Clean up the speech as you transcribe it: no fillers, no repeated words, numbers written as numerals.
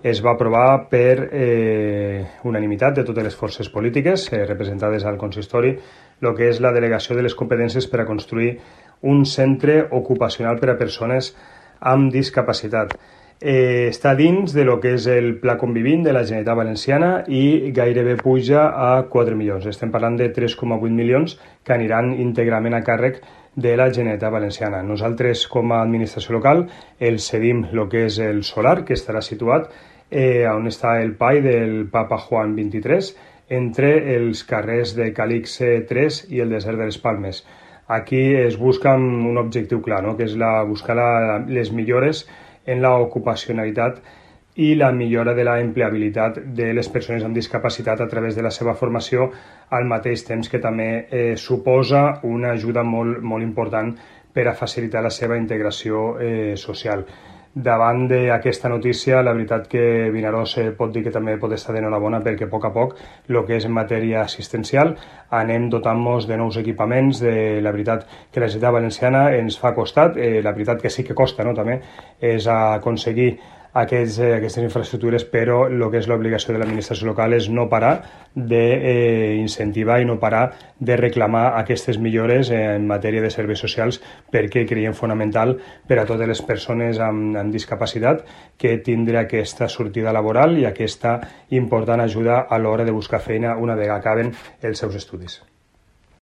es va aprovar per unanimitat de totes les forces polítiques representades al consistori el que és la delegació de les competències per a construir un centre ocupacional per a persones amb discapacitat. Està dins de lo que és el Pla Convivint de la Generalitat Valenciana i gairebé puja a 4 milions. Estem parlant de 3,8 milions que aniran íntegrament a càrrec de la Generalitat Valenciana. Nosaltres, com a administració local, el cedim el que és el solar, que estarà situat on està el PAI del Papa Juan XXIII, entre els carrers de Calix 3 i el desert de les Palmes. Aquí es busca un objectiu clar, no? Que és buscar les millores en l'ocupacionalitat i la millora de la empleabilitat de les persones amb discapacitat a través de la seva formació, al mateix temps que també suposa una ajuda molt important per a facilitar la seva integració social. Davant d'aquesta notícia, la veritat que Vinaròs pot dir que també pot estar d'enhorabona perquè a poc el que és en matèria assistencial anem dotant-nos de nous equipaments. La veritat que la Generalitat Valenciana ens fa costat, la veritat que sí que costa, no? També és aconseguir aquestes infraestructures, però el que és l'obligació de l'administració local és no parar d'incentivar i no parar de reclamar aquestes millores en matèria de serveis socials, perquè creiem fonamental per a totes les persones amb discapacitat que tindre aquesta sortida laboral i aquesta important ajuda a l'hora de buscar feina una vegada acaben els seus estudis.